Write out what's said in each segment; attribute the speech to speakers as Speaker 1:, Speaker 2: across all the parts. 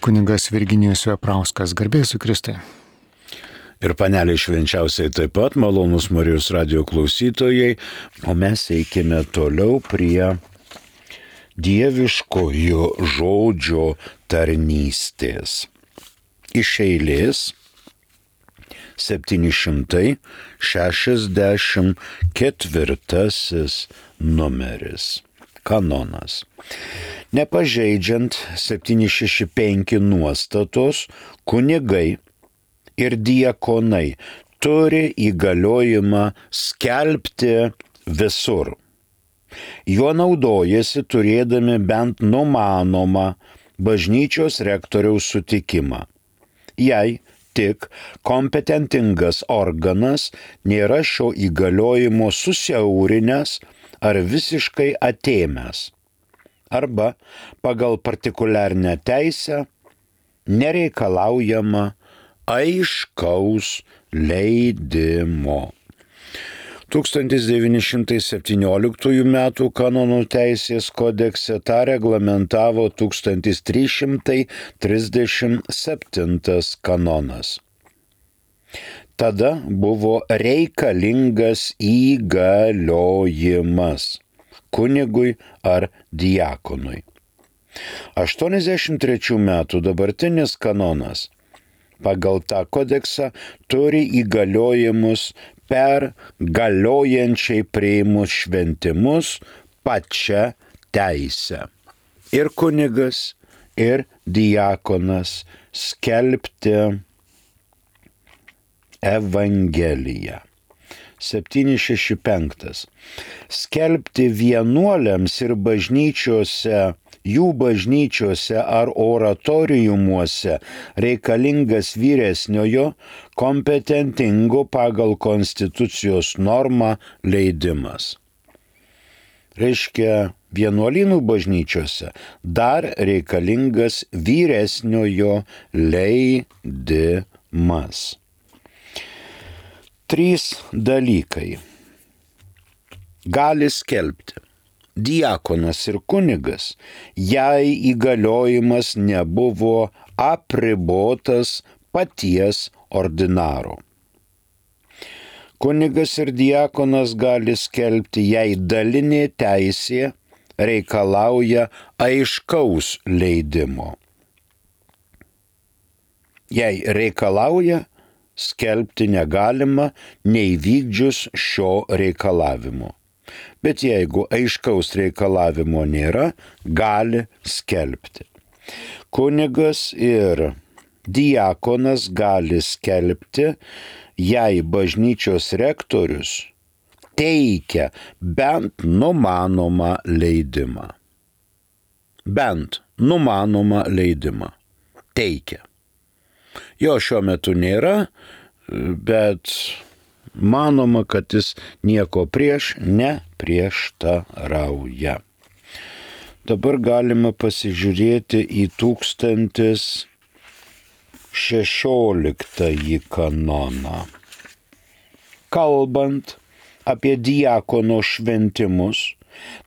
Speaker 1: Kunigas Virginijus Veprauskas, garbė Jėzui Kristui.
Speaker 2: Ir panelė švenčiausiai taip pat, malonus Marijos radio klausytojai, o mes eikime toliau prie dieviškojo žodžio tarnystės. Iš eilės 764 numeris. Kanonas. Nepažeidžiant 765 nuostatos, kunigai ir diakonai turi įgaliojimą skelbti visur. Juo naudojasi turėdami bent numanomą bažnyčios rektoriaus sutikimą. Jei tik kompetentingas organas nėra šio įgaliojimo susiaurinęs ar visiškai atėmęs, arba pagal partikuliarnę teisę nereikalaujama aiškaus leidimo. 1917 m. kanonų teisės kodekse tą reglamentavo 1337 kanonas. Tada buvo reikalingas įgaliojimas kunigui ar diakonui. 83 metų dabartinis kanonas pagal tą kodeksą turi įgaliojimus per galiojančiai priimus šventimus pačią teisę. Ir kunigas, ir diakonas skelbti Evangeliją. 765. Skelbti vienuoliams ir jų bažnyčiose ar oratoriumuose reikalingas vyresniojo kompetentingo pagal konstitucijos normą leidimas. Reiškia, vienuolynų bažnyčiose dar reikalingas vyresniojo leidimas. 3 dalykai. Gali skelbti diakonas ir kunigas, jei įgaliojimas nebuvo apribotas paties ordinaro. Kunigas ir diakonas gali skelbti, jei dalinė teisė reikalauja aiškaus leidimo. Jei reikalauja, skelbti negalima neįvykdžius šio reikalavimo. Bet jeigu aiškaus reikalavimo nėra, gali skelbti. Kunigas ir diakonas gali skelbti, jei bažnyčios rektorius teikia bent numanomą leidimą. Bent numanomą leidimą teikia. Jo šiuo metu nėra, bet manoma, kad jis nieko prieš neprieštarauja. Dabar galima pasižiūrėti į 1016 kanoną. Kalbant apie diakono šventimus,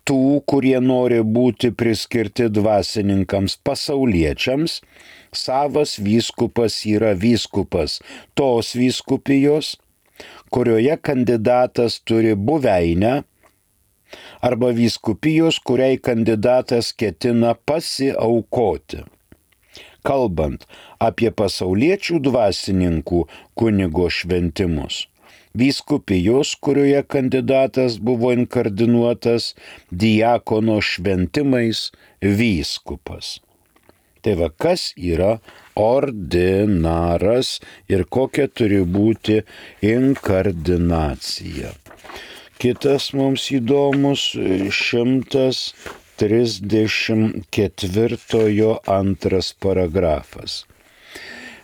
Speaker 2: tų, kurie nori būti priskirti dvasininkams pasauliečiams, savas vyskupas yra vyskupas tos vyskupijos, kurioje kandidatas turi buveinę, arba vyskupijos, kuriai kandidatas ketina pasiaukoti. Kalbant apie pasauliečių dvasininkų kunigo šventimus, vyskupijos, kurioje kandidatas buvo inkardinuotas diakono šventimais vyskupas. Tai va, kas yra ordinaras ir kokia turi būti inkardinacija. Kitas mums įdomus 134 antras paragrafas.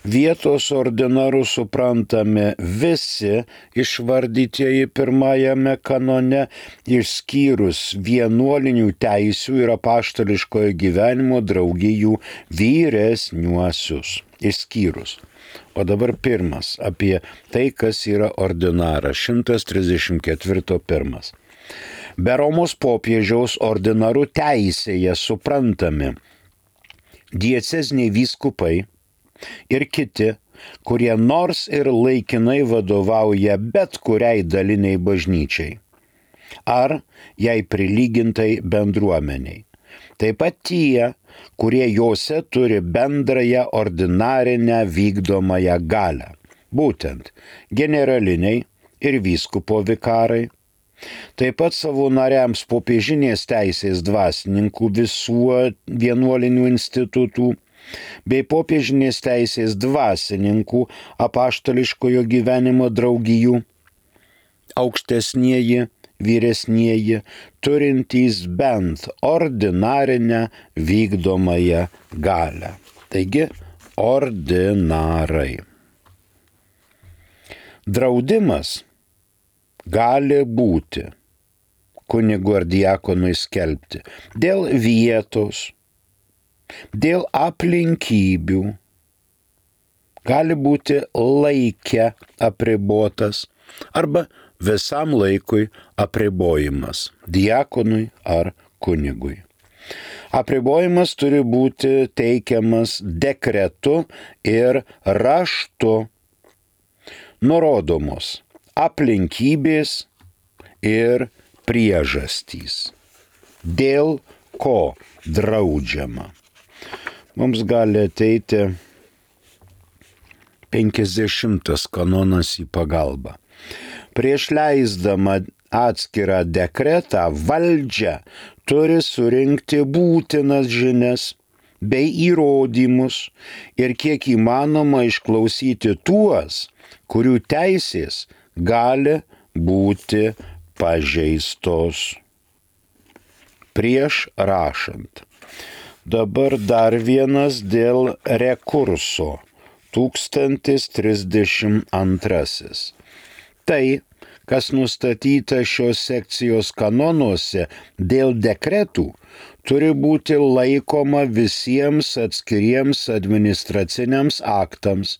Speaker 2: Vietos ordinarų suprantame visi išvardytieji pirmajame kanone, išskyrus vienuolinių teisių ir apaštališkojo gyvenimo draugijų vyresniuosius. Išskyrus. O dabar pirmas apie tai, kas yra ordinaras. 134.1. Be Romos popiežiaus ordinarų teisėje suprantami dieceziniai vyskupai ir kiti, kurie nors ir laikinai vadovauja bet kuriai daliniai bažnyčiai ar jai prilygintai bendruomeniai. Taip pat tie, kurie jose turi bendrąją ordinarinę vykdomąją galią, būtent generaliniai ir vyskupo vikarai. Taip pat savo nariams popiežinės teisės dvasininkų visų vienuolinių institutų bei popiežinės teisės dvasininkų apaštališkojo gyvenimo draugijų, aukštesnieji, vyresnieji, turintys bent ordinarinę vykdomąją galią. Taigi, ordinarai. Draudimas gali būti kunigui ar diakonui skelbti dėl vietos, dėl aplinkybių, gali būti laike apribotas arba visam laikui apribojimas diakonui ar kunigui. Apribojimas turi būti teikiamas dekretu ir raštu, nurodomos aplinkybės ir priežastys, dėl ko draudžiama. Mums gali ateiti 50 kanonas į pagalbą. Prieš leisdama atskirą dekretą valdžia turi surinkti būtinas žinias bei įrodymus ir kiek įmanoma išklausyti tuos, kurių teisės gali būti pažeistos. Prieš rašant. Dabar dar vienas dėl rekurso. 1032. Tai, kas nustatyta šios sekcijos kanonuose dėl dekretų, turi būti laikoma visiems atskiriems administraciniams aktams,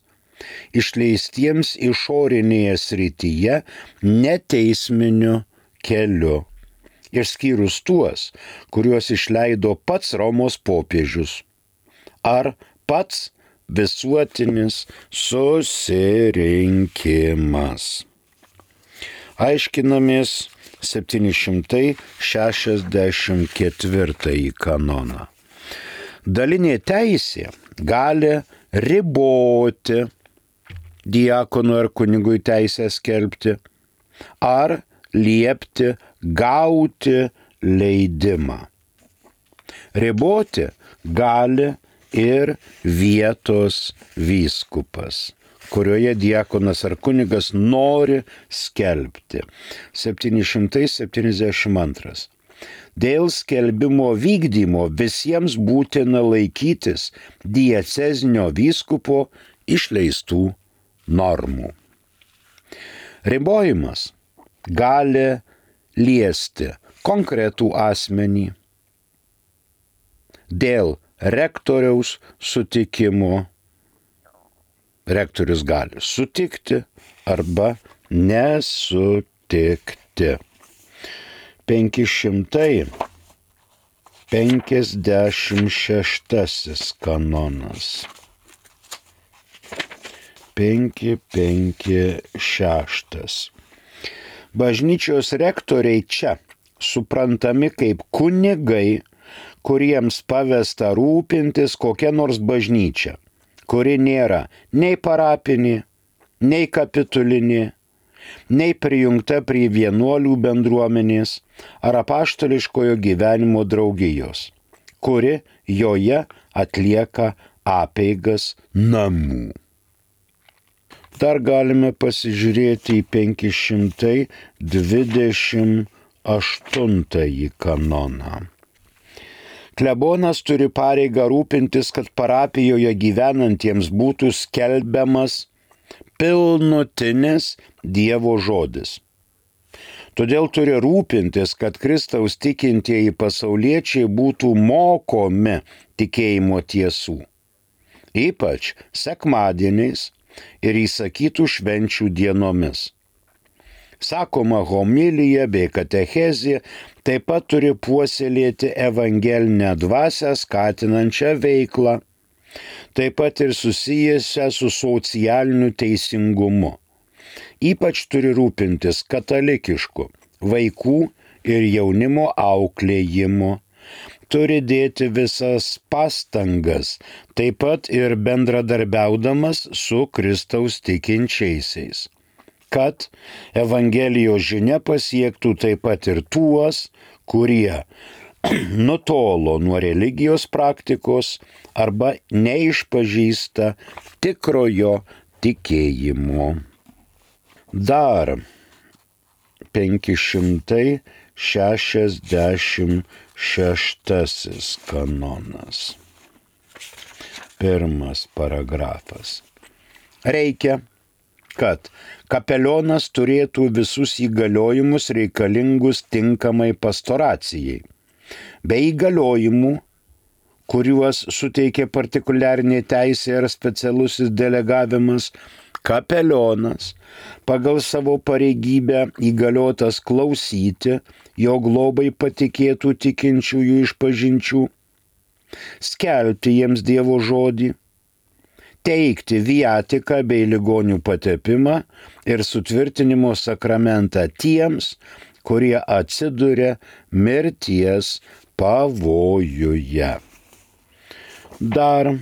Speaker 2: išleistiems išorinėje srityje neteisminiu keliu, išskyrus tuos, kuriuos išleido pats Romos popiežius ar pats visuotinis susirinkimas. Aiškinamės 764 kanoną. Dalinė teisė gali riboti diakonui ar kunigui teisę skelbti ar liepti gauti leidimą. Riboti gali ir vietos vyskupas, kurioje diakonas ar kunigas nori skelbti. 772. Dėl skelbimo vykdymo visiems būtina laikytis diecezinio vyskupo išleistų normų. Ribojimas gali liesti konkretų asmenį dėl rektoriaus sutikimo. Rektorius gali sutikti arba nesutikti. 556 kanonas. 556. Bažnyčios rektoriai čia suprantami kaip kunigai, kuriems pavesta rūpintis kokia nors bažnyčia, kuri nėra nei parapinė, nei kapitulinė, nei prijungta prie vienuolių bendruomenės ar apaštališkojo gyvenimo draugijos, kuri joje atlieka apeigas namų. Dar galime pasižiūrėti į 528 kanoną. Klebonas turi pareigą rūpintis, kad parapijoje gyvenantiems būtų skelbiamas pilnutinis Dievo žodis. Todėl turi rūpintis, kad Kristaus tikintieji pasauliečiai būtų mokomi tikėjimo tiesų, ypač sekmadieniais ir įsakytų švenčių dienomis. Sakoma, homilija bei katechezė taip pat turi puoselėti evangelinę dvasią skatinančią veiklą, taip pat ir susijusią su socialiniu teisingumu. Ypač turi rūpintis katalikišku vaikų ir jaunimo auklėjimu, turi dėti visas pastangas, taip pat ir bendradarbiaudamas su Kristaus tikinčiaisiais, kad Evangelijos žinia pasiektų taip pat ir tuos, kurie nutolo nuo religijos praktikos arba neišpažįsta tikrojo tikėjimo. Dar 566 kanonas. Pirmas paragrafas. Reikia, kad kapelionas turėtų visus įgaliojimus reikalingus tinkamai pastoracijai, bei įgaliojimų, kuriuos suteikia partikuliarinė teisė ar specialusis delegavimas, kapelionas pagal savo pareigybę įgaliotas klausyti jo globai patikėtų tikinčiųjų išpažinčių, skelbti jiems Dievo žodį, teikti viatiką bei ligonių patepimą ir sutvirtinimo sakramentą tiems, kurie atsiduria mirties pavojuje. Dar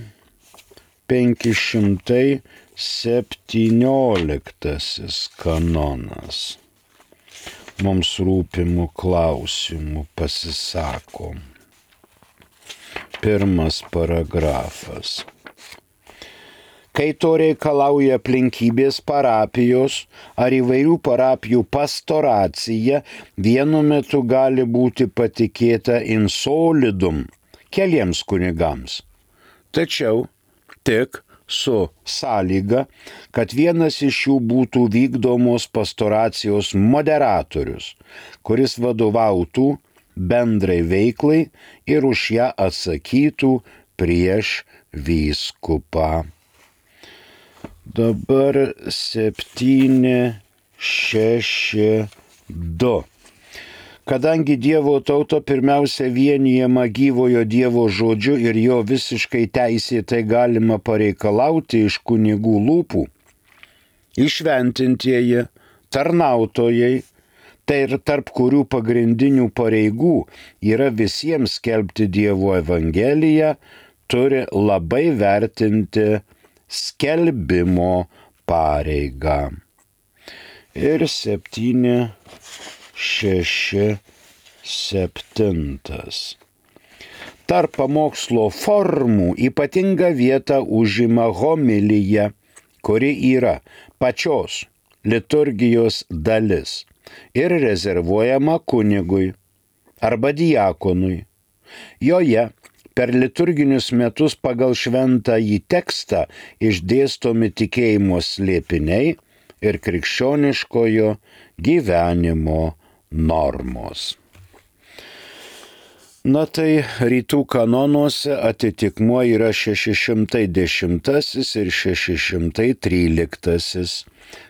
Speaker 2: 517 kanonas. Mums rūpimų klausimų pasisako. Pirmas paragrafas. Kai to reikalauja aplinkybės parapijos ar įvairių parapijų pastoracija, vienu metu gali būti patikėta in solidum keliems kunigams. Tačiau tik su sąlyga, kad vienas iš jų būtų vykdomos pastoracijos moderatorius, kuris vadovautų bendrai veiklai ir už ją atsakytų prieš vyskupą. Dabar 762. Kadangi Dievo tauta pirmiausia vienijama gyvojo Dievo žodžiu ir jo visiškai teisėtai galima pareikalauti iš kunigų lūpų, įšventintieji, tarnautojai, tai ir tarp kurių pagrindinių pareigų yra visiems skelbti Dievo evangeliją, turi labai vertinti skelbimo pareigą. Ir 767. Tarp pamokslo formų ypatingą vietą užima homilija, kuri yra pačios liturgijos dalis ir rezervuojama kunigui arba diakonui. Joje per liturginius metus pagal šventąjį tekstą išdėstomi tikėjimo slėpiniai ir krikščioniškojo gyvenimo normos. Na tai rytų kanonuose atitikmuo yra 610 ir 613.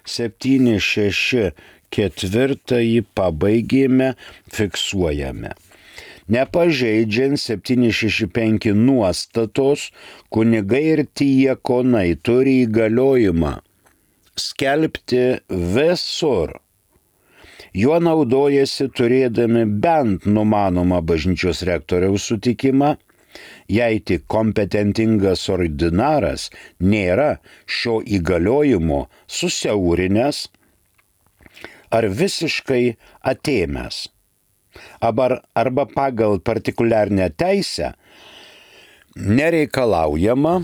Speaker 2: 764 pabaigėme, fiksuojame. Nepažeidžiant 765 nuostatos, kunigai ir diakonai turi įgaliojimą skelbti visur. Juo naudojasi turėdami bent numanomą bažnyčios rektoriaus sutikimą, jei tik kompetentingas ordinaras nėra šio įgaliojimo susiaurinęs ar visiškai atėmęs, arba pagal partikuliarnę teisę nereikalaujama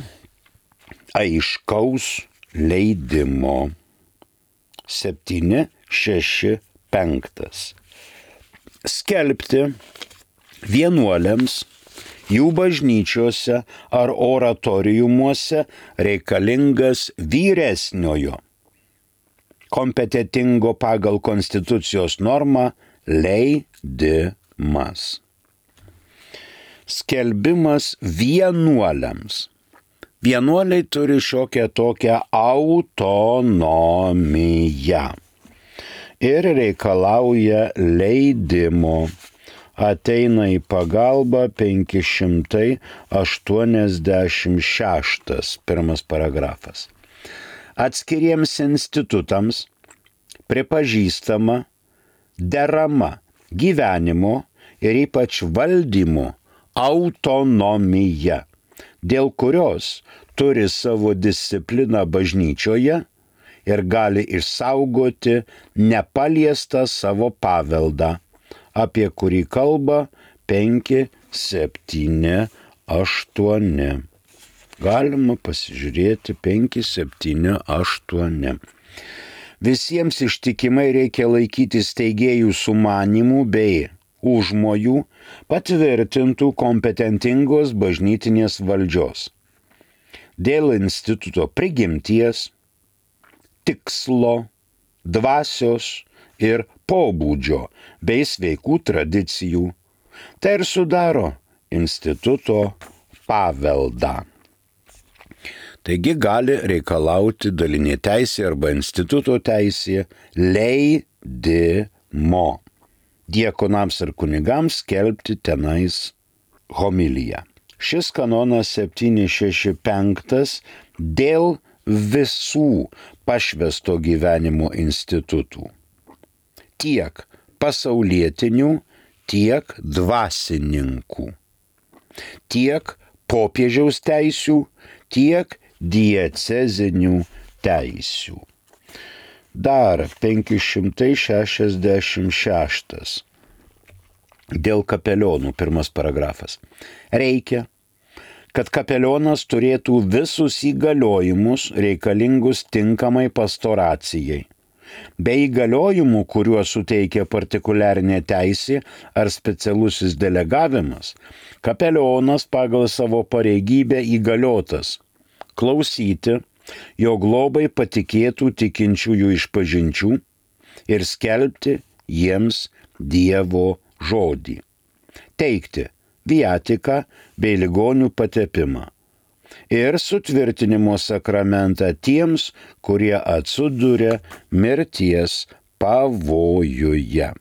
Speaker 2: aiškaus leidimo. 765. Skelbti vienuoliams jų bažnyčiose ar oratoriumuose reikalingas vyresniojo, kompetentingo pagal konstitucijos normą leidimas. Skelbimas vienuoliams. Vienuoliai turi šiokią tokią autonomiją. ir reikalauja leidimo. Ateina į pagalbą 586, pirmas paragrafas. Atskiriems institutams pripažįstama derama gyvenimo ir ypač valdymo autonomija, dėl kurios turi savo discipliną bažnyčioje ir gali išsaugoti nepaliestą savo paveldą, apie kurį kalba 5, 7, 8. Galima pasižiūrėti 5, 7, 8. Visiems ištikimai reikia laikytis steigėjų sumanimų bei užmojų patvirtintų kompetentingos bažnytinės valdžios. Dėl instituto prigimties, tikslo, dvasios ir pobūdžio bei sveikų tradicijų. Tai ir sudaro instituto paveldą. Taigi gali reikalauti dalinė teisė arba instituto teisė leidimo diekonams ir kunigams skelbti tenais homiliją. Šis kanonas 765 dėl visų pašvęsto gyvenimo institutų, tiek pasaulietinių, tiek dvasininkų, tiek popiežiaus teisių, tiek diecezinių teisių. Dar 566 dėl kapelionų, pirmas paragrafas. Reikia, kad kapelionas turėtų visus įgaliojimus reikalingus tinkamai pastoracijai, bei įgaliojimų, kuriuos suteikia partikuliarinė teisė ar specialusis delegavimas, kapelionas pagal savo pareigybę įgaliotas klausyti, jo globai patikėtų tikinčiųjų išpažinčių ir skelbti jiems Dievo žodį, teikti viatiką bei ligonių patepimą ir sutvirtinimo sakramentą tiems, kurie atsiduria mirties pavojuje.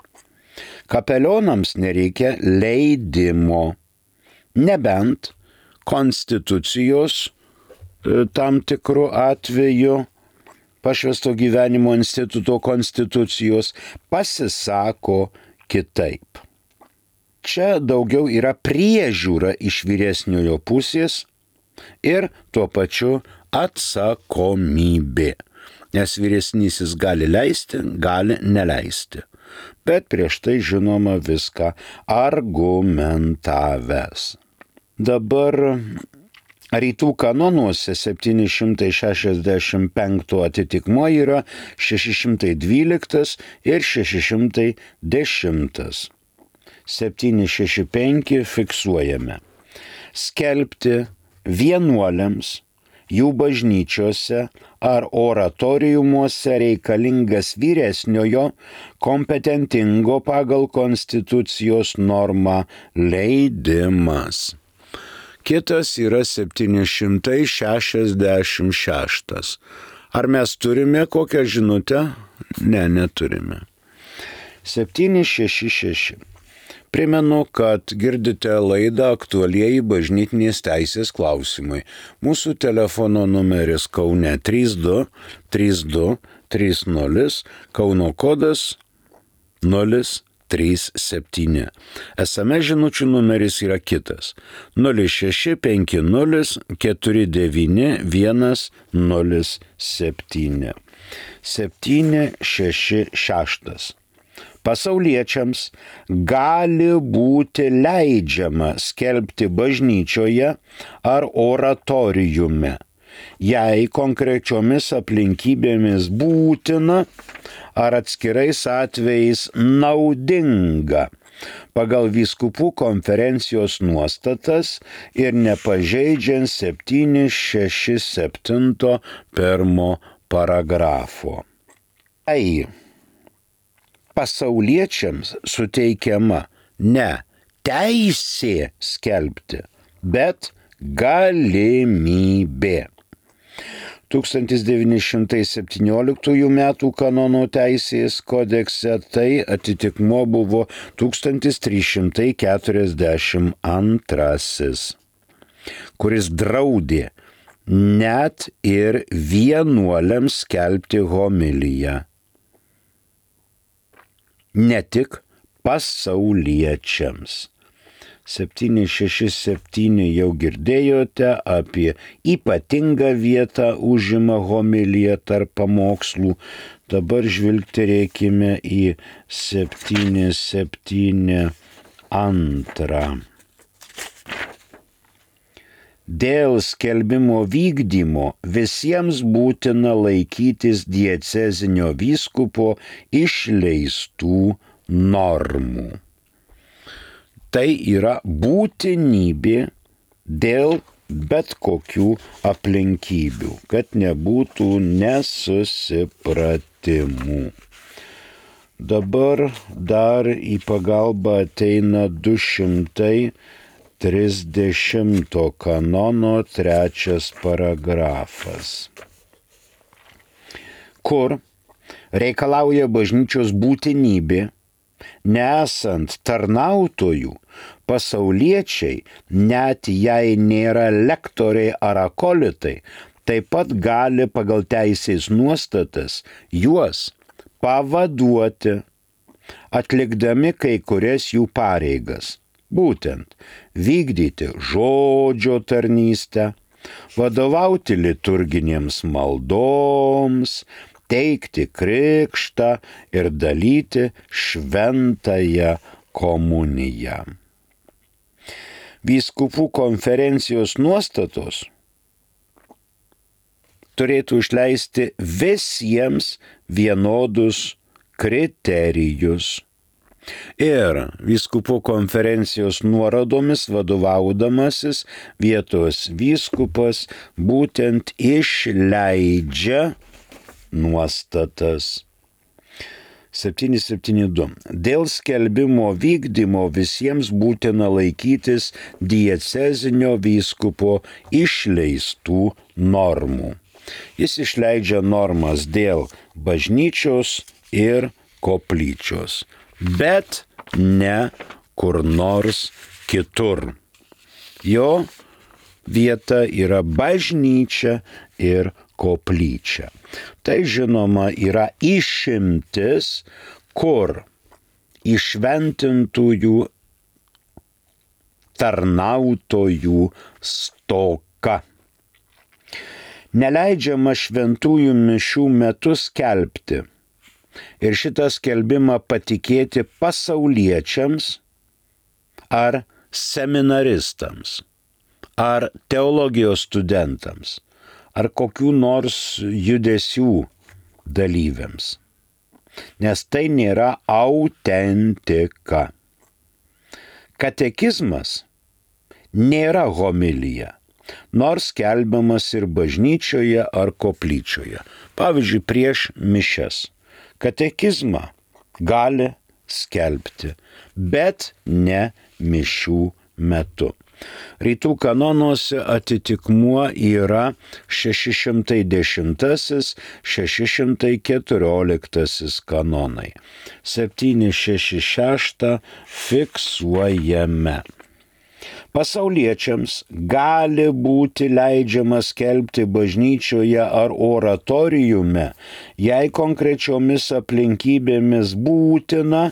Speaker 2: Kapelionams nereikia leidimo, nebent konstitucijos tam tikrų atveju, pašvęsto gyvenimo instituto konstitucijos pasisako kitaip. Čia daugiau yra priežiūra iš vyresniojo pusės ir tuo pačiu atsakomybė, nes vyresnysis gali leisti, gali neleisti, bet prieš tai žinoma viską argumentavęs. Dabar rytų kanonuose 765 atitikmuo yra 612 ir 610. 765 fiksuojame. Skelbti vienuoliams, jų bažnyčiose ar oratoriumuose reikalingas vyresniojo kompetentingo pagal konstitucijos normą leidimas. Kitas yra 766. Ar mes turime kokią žinutę? Ne, neturime. 766. Primenu, kad girdite laidą Aktualieji bažnytinės teisės klausimai. Mūsų telefono numeris Kaune 32 32 30, Kauno kodas 037. SMS žinučių numeris yra kitas 0650 49 107. 766. Pasauliečiams gali būti leidžiama skelbti bažnyčioje ar oratoriume, jei konkrečiomis aplinkybėmis būtina ar atskirais atvejais naudinga pagal vyskupų konferencijos nuostatas ir nepažeidžiant 767 pirmo paragrafo. Pasauliečiams suteikiama ne teisė skelbti, bet galimybė. 1917 m. kanono teisės kodekse tai atitikmuo buvo 1342, kuris draudė net ir vienuoliams skelbti homiliją, ne tik pasauliečiams. 767 jau girdėjote, apie ypatingą vietą užima homilija tarp pamokslų. Dabar žvilgterėkime į 772. Dėl skelbimo vykdymo visiems būtina laikytis diecezinio vyskupo išleistų normų. Tai yra būtinybė dėl bet kokių aplinkybių, kad nebūtų nesusipratimų. Dabar dar į pagalbą ateina 230 kanono 3 paragrafas, kur reikalauja bažnyčios būtinybė, nesant tarnautojų, pasauliečiai, net jei nėra lektoriai ar akolitai, taip pat gali pagal teisės nuostatas juos pavaduoti, atlikdami kai kurias jų pareigas, būtent vykdyti žodžio tarnystę, vadovauti liturginėms maldoms, teikti krikštą ir dalyti šventąją komuniją. Vyskupų konferencijos nuostatos turėtų išleisti visiems vienodus kriterijus. Ir vyskupų konferencijos nuorodomis vadovaudamasis vietos vyskupas būtent išleidžia nuostatas. 772. Dėl skelbimo vykdymo visiems būtina laikytis diecezinio vyskupo išleistų normų. Jis išleidžia normas dėl bažnyčios ir koplyčios, bet ne kur nors kitur. Jo vieta yra bažnyčia ir koplyčia. Tai žinoma yra išimtis, kur įšventintųjų tarnautojų stoka. Neleidžiama šventųjų mišių metu skelbti ir šitą skelbimą patikėti pasauliečiams ar seminaristams, ar teologijos studentams, ar kokių nors judesių dalyviams, nes tai nėra autentika. Katekizmas nėra homilija, nors skelbiamas ir bažnyčioje ar koplyčioje. Pavyzdžiui, prieš mišias. Katekizmą gali skelbti, bet ne mišių metu. Rytų kanonuose atitikmuo yra 610-614 kanonai. 766 fiksuojame. Pasauliečiams gali būti leidžiama skelbti bažnyčioje ar oratoriume, jei konkrečiomis aplinkybėmis būtina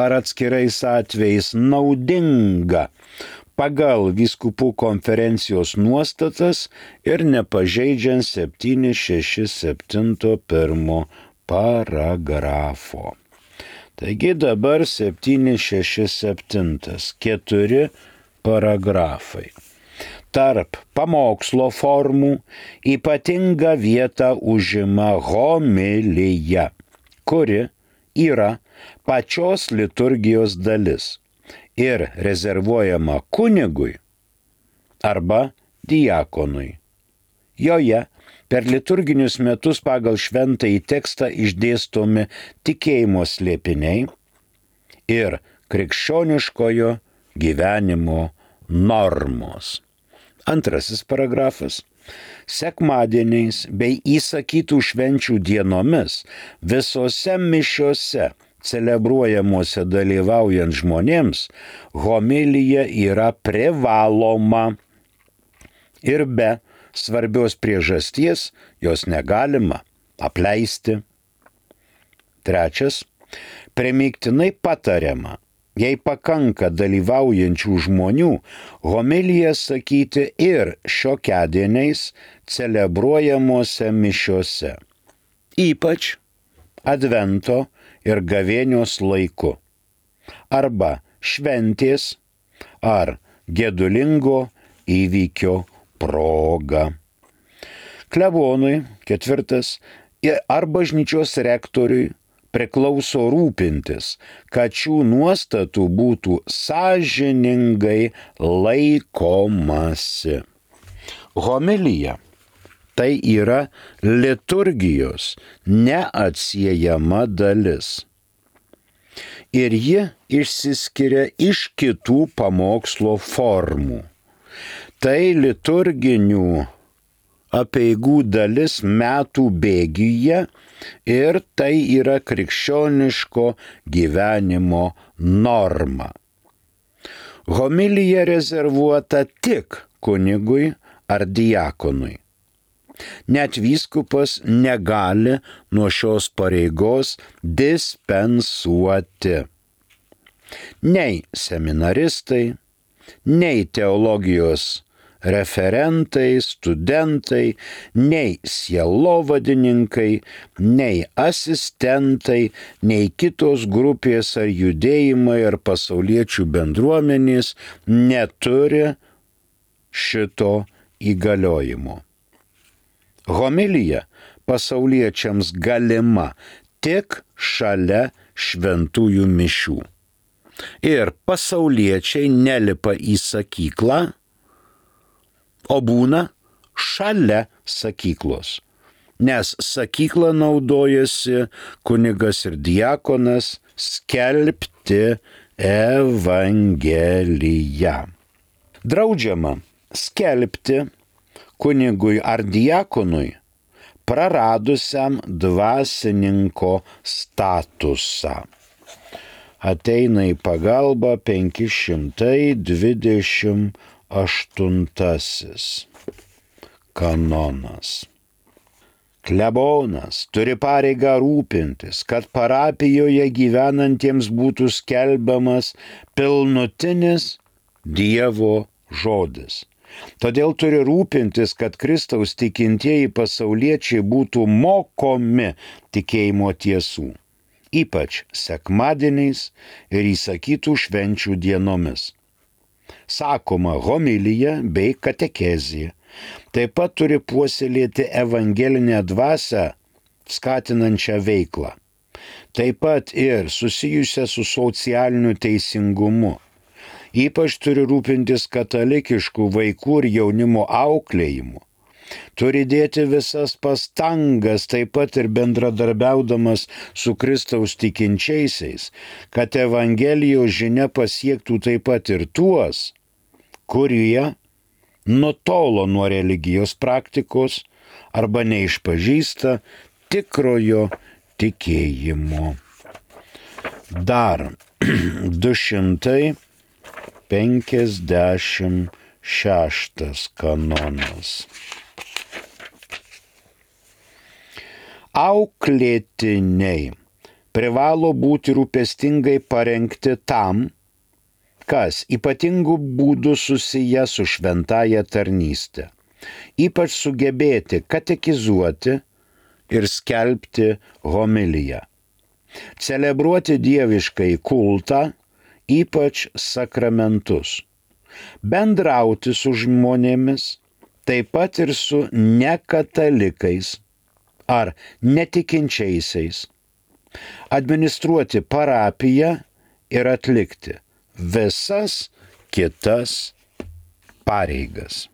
Speaker 2: ar atskirais atvejais naudinga pagal vyskupų konferencijos nuostatas ir nepažeidžiant 767 paragrafo. Taigi dabar 767, 4 paragrafai. Tarp pamokslo formų ypatingą vietą užima homilija, kuri yra pačios liturgijos dalis ir rezervuojama kunigui arba diakonui. Joje per liturginius metus pagal šventąjį tekstą išdėstomi tikėjimo slėpiniai ir krikščioniškojo gyvenimo normos. Antrasis paragrafas. Sekmadieniais bei įsakytų švenčių dienomis visose mišiose celebruojamuose dalyvaujant žmonėms homilija yra privaloma ir be svarbios priežasties jos negalima apleisti. Trečias, primygtinai patariama, jei pakanka dalyvaujančių žmonių, homiliją sakyti ir šiokiadieniais celebruojamuose mišiose, ypač Advento ir gavėnios laiku, arba šventės ar gedulingo įvykio proga. Klebonui, ketvirtas, ar bažnyčios rektoriui priklauso rūpintis, kad šių nuostatų būtų sąžiningai laikomasi. Homilija tai yra liturgijos neatsiejama dalis. Ir ji išsiskiria iš kitų pamokslo formų. Tai liturginių apeigų dalis metų bėgyje ir tai yra krikščioniško gyvenimo norma. Homilija rezervuota tik kunigui ar diakonui. Net vyskupas negali nuo šios pareigos dispensuoti. Nei seminaristai, nei teologijos referentai, studentai, nei sielovadininkai, nei asistentai, nei kitos grupės ar judėjimai ar pasauliečių bendruomenės neturi šito įgaliojimo. Homilija pasauliečiams galima tik šalia šventųjų mišių. Ir pasauliečiai nelipa į sakyklą, o būna šalia sakyklos, nes sakyklą naudojasi kunigas ir diakonas skelbti evangeliją. Draudžiama skelbti kunigui ar diakonui praradusiam dvasininko statusą. Ateina į pagalbą 528 kanonas. Klebonas turi pareigą rūpintis, kad parapijoje gyvenantiems būtų skelbiamas pilnutinis Dievo žodis. Todėl turi rūpintis, kad Kristaus tikintieji pasauliečiai būtų mokomi tikėjimo tiesų, ypač sekmadieniais ir įsakytų švenčių dienomis. Sakoma homilija bei katekezija. Taip pat turi puoselėti evangelinę dvasią skatinančią veiklą. Taip pat ir susijusią su socialiniu teisingumu. Ypač turi rūpintis katalikiškų vaikų ir jaunimo auklėjimu. Turi dėti visas pastangas, taip pat ir bendradarbiaudamas su Kristaus tikinčiaisiais, kad evangelijos žinia pasiektų taip pat ir tuos, kurie nutolo nuo religijos praktikos arba neišpažįsta tikrojo tikėjimo. Dar 256 kanonas. Auklėtiniai privalo būti rūpestingai parengti tam, kas ypatingų būdų susiję su šventąja tarnyste, ypač sugebėti katekizuoti ir skelbti homiliją, celebruoti dieviškai kultą, ypač sakramentus, bendrauti su žmonėmis, taip pat ir su nekatalikais ar netikinčiaisiais, administruoti parapiją ir atlikti visas kitas pareigas.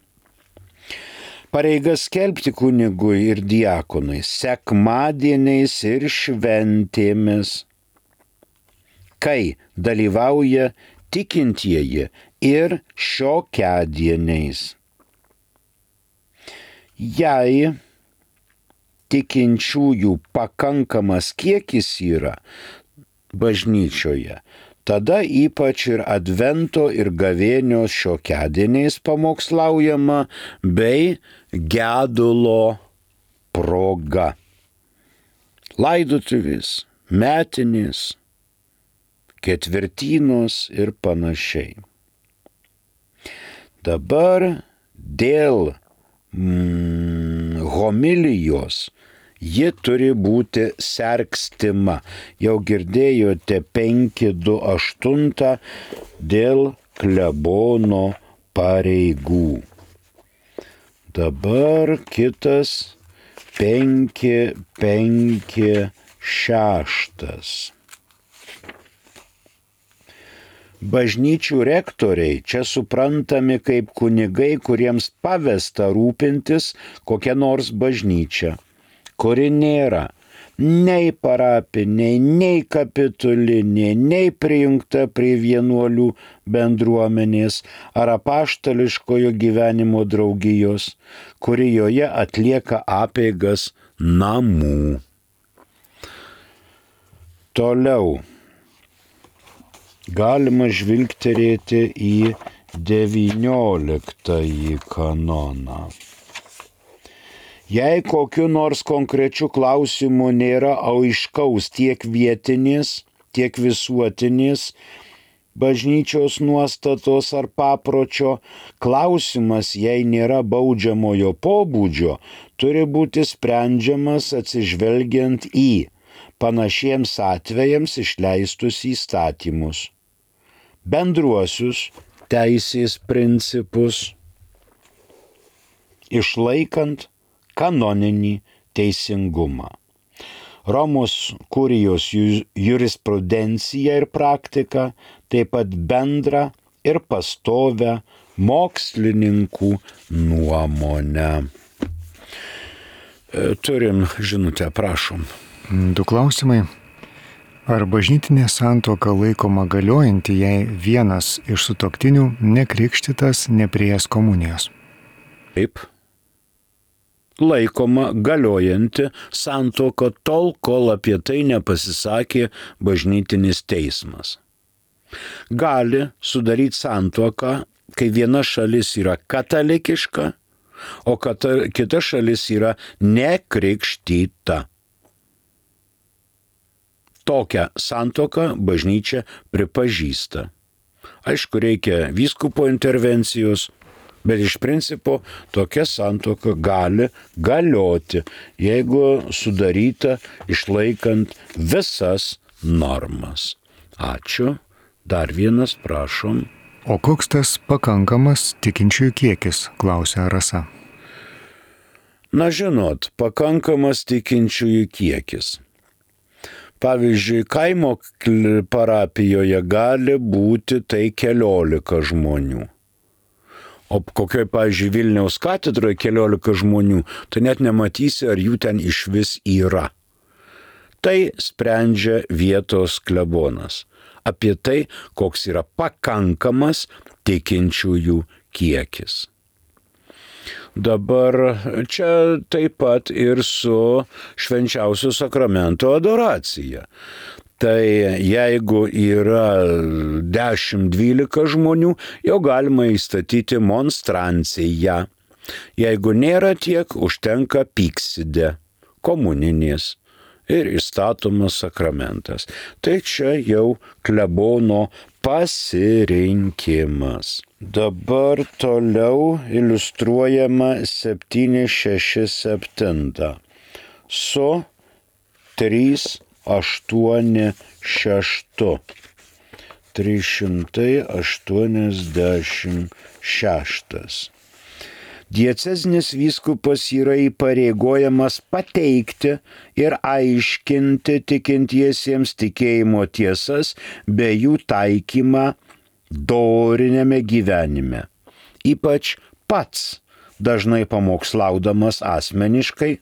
Speaker 2: Pareigas skelbti kunigui ir diakonui sekmadieniais ir šventėmis, kai dalyvauja tikintieji ir šiokiadieniais. Jei tikinčiųjų pakankamas kiekis yra bažnyčioje, tada ypač ir advento ir gavėnios šiokiadieniais pamokslaujama bei gedulo proga. Laidotuvės, metinės, ketvirtynos ir panašiai. Dabar dėl homilijos ji turi būti sergstima. Jau girdėjote 5.2.8 dėl klebono pareigų. Dabar kitas 5.5.6. Bažnyčių rektoriai čia suprantami kaip kunigai, kuriems pavesta rūpintis kokia nors bažnyčia, kuri nėra nei parapinė, nei kapitulinė, nei prijungta prie vienuolių bendruomenės ar apaštališkojo gyvenimo draugijos, kuri joje atlieka apeigas namų. Toliau galima žvilgterėti į 19 kanoną. Jei kokiu nors konkrečiu klausimu nėra aiškaus tiek vietinės, tiek visuotinės bažnyčios nuostatos ar papročio, klausimas, jei nėra baudžiamojo pobūdžio, turi būti sprendžiamas atsižvelgiant į panašiems atvejams išleistus įstatymus, bendruosius teisės principus, išlaikant kanoninį teisingumą. Romos kurijos jurisprudencija ir praktika, taip pat bendrą ir pastovę mokslininkų nuomonę. Turim žinutę, prašom.
Speaker 1: 2 klausimai. Ar bažnytinė santuoka laikoma galiojanti, jei vienas iš sutuoktinių nekrikštytas, nepriėjęs komunijos?
Speaker 2: Taip. Laikoma galiojanti santuoka tol, kol apie tai nepasisakė bažnytinis teismas. Gali sudaryti santuoką, kai viena šalis yra katalikiška, o kita šalis yra nekrikštyta. Tokią santuoką bažnyčia pripažįsta. Aišku, reikia vyskupo intervencijos, bet iš principo tokia santuoka gali galioti, jeigu sudaryta išlaikant visas normas. Ačiū. Dar vienas, prašom.
Speaker 1: O koks tas pakankamas tikinčiųjų kiekis, klausia Rasa.
Speaker 2: Na žinot, pakankamas tikinčiųjų kiekis. Pavyzdžiui, kaimo parapijoje gali būti tai 14 žmonių. O kokioj, pavyzdžiui, Vilniaus katedroje 14 žmonių, tai net nematysi, ar jų ten išvis yra. Tai sprendžia vietos klebonas. Apie tai, koks yra pakankamas tikinčiųjų kiekis. Dabar čia taip pat ir su švenčiausio sakramento adoracija. Tai jeigu yra 10-12 žmonių, jau galima įstatyti monstranciją. Jeigu nėra tiek, užtenka pykside, komuninės ir įstatomas sakramentas. Tai čia jau klebono pasirinkimas. Dabar toliau iliustruojama 767 su 386. 386. Diecezinis vyskupas yra įpareigojamas pateikti ir aiškinti tikintiesiems tikėjimo tiesas bei jų taikymą doriniame gyvenime. Ypač pats dažnai pamokslaudamas asmeniškai,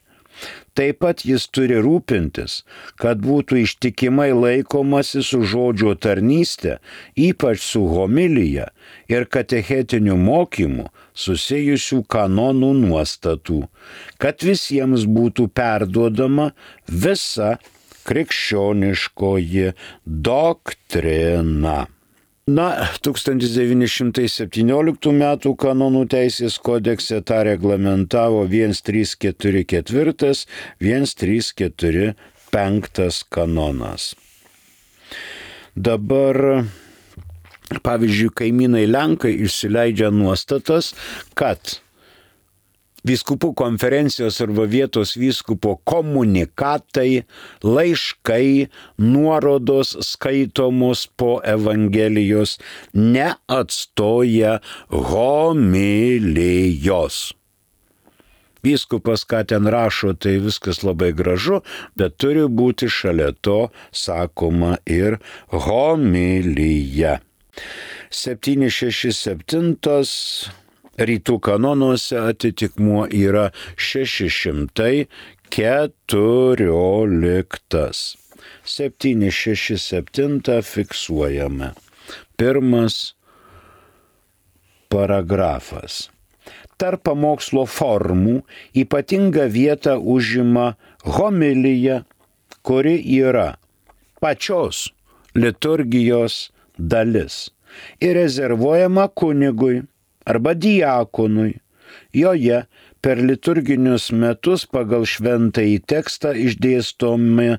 Speaker 2: Taip pat jis turi rūpintis, kad būtų ištikimai laikomasi su žodžio tarnyste, ypač su homilija ir katechetiniu mokymu susijusių kanonų nuostatų, kad visiems būtų perduodama visa krikščioniškoji doktrina. 1917 m. kanonų teisės kodekse tą reglamentavo 1344, 1345 kanonas. Dabar, pavyzdžiui, kaimynai Lenkai išsileidžia nuostatas, kad vyskupų konferencijos arba vietos vyskupo komunikatai, laiškai, nuorodos skaitomos po Evangelijos neatstoja homilijos. Vyskupas, ką ten rašo, tai viskas labai gražu, bet turi būti šalia to sakoma ir homilija. 767 rytų kanonuose atitikmuo yra 614. 767 fiksuojame. Pirmas paragrafas. Tarp pamokslo formų ypatingą vietą užima homilija, kuri yra pačios liturgijos dalis ir rezervuojama kunigui arba diakonui. Joje per liturginius metus pagal šventąjį tekstą išdėstomi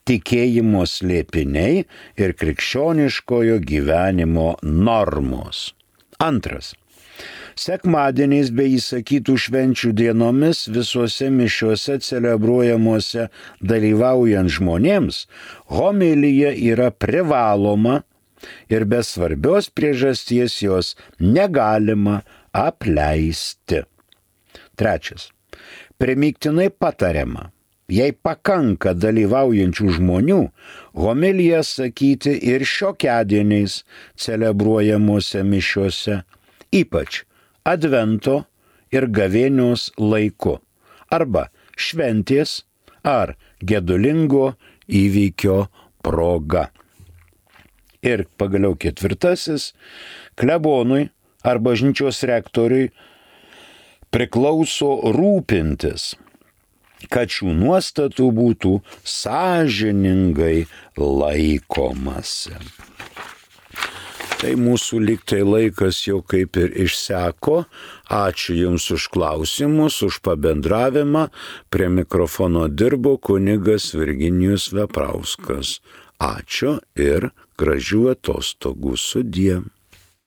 Speaker 2: tikėjimo slėpiniai ir krikščioniškojo gyvenimo normos. Antras. Sekmadieniais bei įsakytų švenčių dienomis visuose mišiuose celebruojamuose dalyvaujant žmonėms homilija yra privaloma ir be svarbios priežasties jos negalima apleisti. Trečias. Primygtinai patariama, jei pakanka dalyvaujančių žmonių, homiliją sakyti ir šiokiadieniais celebruojamuose mišiuose, ypač advento ir gavėnios laiku, arba šventės ar gedulingo įvykio proga. Ir pagaliau ketvirtasis, klebonui ar bažnyčios rektoriui priklauso rūpintis, kad šių nuostatų būtų sąžiningai laikomasi. Tai mūsų lygtai laikas jau kaip ir išseko. Ačiū Jums už klausimus, už pabendravimą. Prie mikrofono dirbo kunigas Virginijus Veprauskas. Ačiū ir gražių atostogų sudie.